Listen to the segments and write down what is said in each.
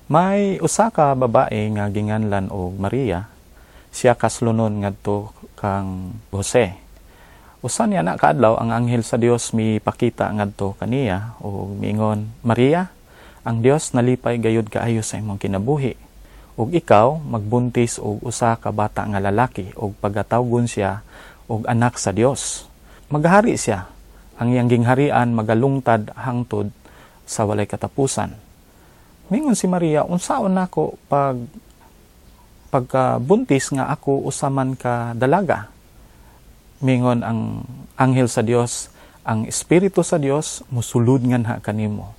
May usa ka babae nga ginganlan og Maria, siya kaslonon ngadto kang Jose. Usa niya na kaadlaw, ang anghel sa Dios mipakita ngadto kaniya ug miingon, "Maria, ang Dios nalipay gayud kaayo sa imong kinabuhi. Ug ikaw magbuntis og usa ka bata nga lalaki ug pagatawgon siya og Anak sa Dios. Magahari siya. Ang iyang gingharian magalungtad hangtod sa walay katapusan." Mingon si Maria, "Unsaon nako pag pagkabuntis nga ako usa man ka dalaga?" Mingon ang anghel sa Dios, "Ang Espiritu sa Dios musulod nganha kanimo.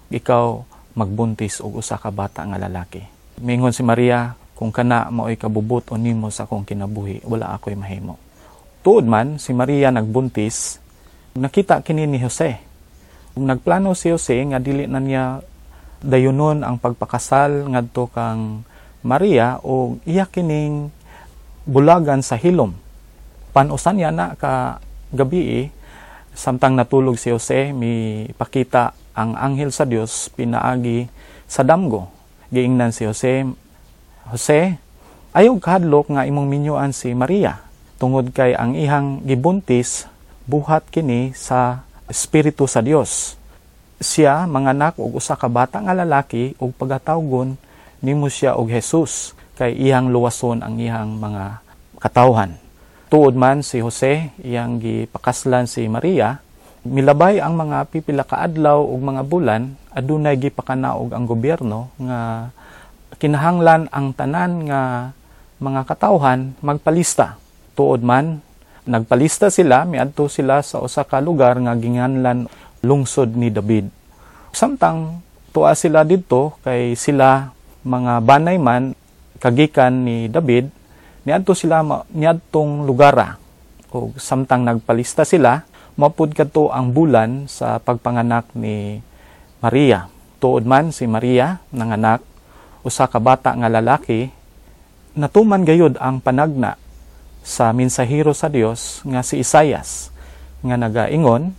Ikaw magbuntis og usa ka bata nga lalaki." Mingon si Maria, "Kung kana maoy kabubut-on nimo sa akong kinabuhi, wala ako'y mahimo." Tuod man, si Maria nagbuntis, nakita kini ni Jose. Nagplano si Jose nga dili na niya dayunon ang pagpakasal ngadto kang Maria o iya kining bulagan sa hilom. Panusan niya na ka gabi, samtang natulog si Jose, mi pakita ang anghel sa Dios pinaagi sa damgo. Giingnan si Jose, "Jose, ayaw kahadlok nga imong minyuan si Maria tungod kay ang ihang gibuntis buhat kini sa Espiritu sa Dios. Siya manganak og usa ka bata nga lalaki ug pagatawgon nimo siya og Jesus kay iyang luwason ang iyang mga katawhan." Tuod man, si Jose iyang gipakaslan si Maria. Milabay ang mga pipila ka adlaw ug mga bulan, adunay gipakanaog ang gobyerno nga kinahanglan ang tanan nga mga katawhan magpalista. Tuod man, nagpalista sila, miadto sila sa usa ka lugar nga ginganlan Lungsod ni David. Samtang tuwa sila didto kay sila mga banay man kagikan ni David, niadto sila niadtong lugara. O samtang nagpalista sila, mapud kadto ang bulan sa pagpanganak ni Maria. Tuod man, si Maria nanganak usa ka bata nga lalaki. Natuman gayud ang panagna sa mensahero sa Dios nga si Isayas nga nagaingon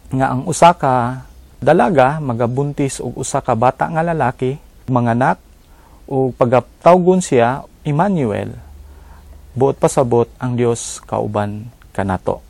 nga ang usa ka dalaga magabuntis og usa ka bata nga lalaki, manganak ug pagatawgon siya Emmanuel, buot pasabot ang Dios kauban kanato.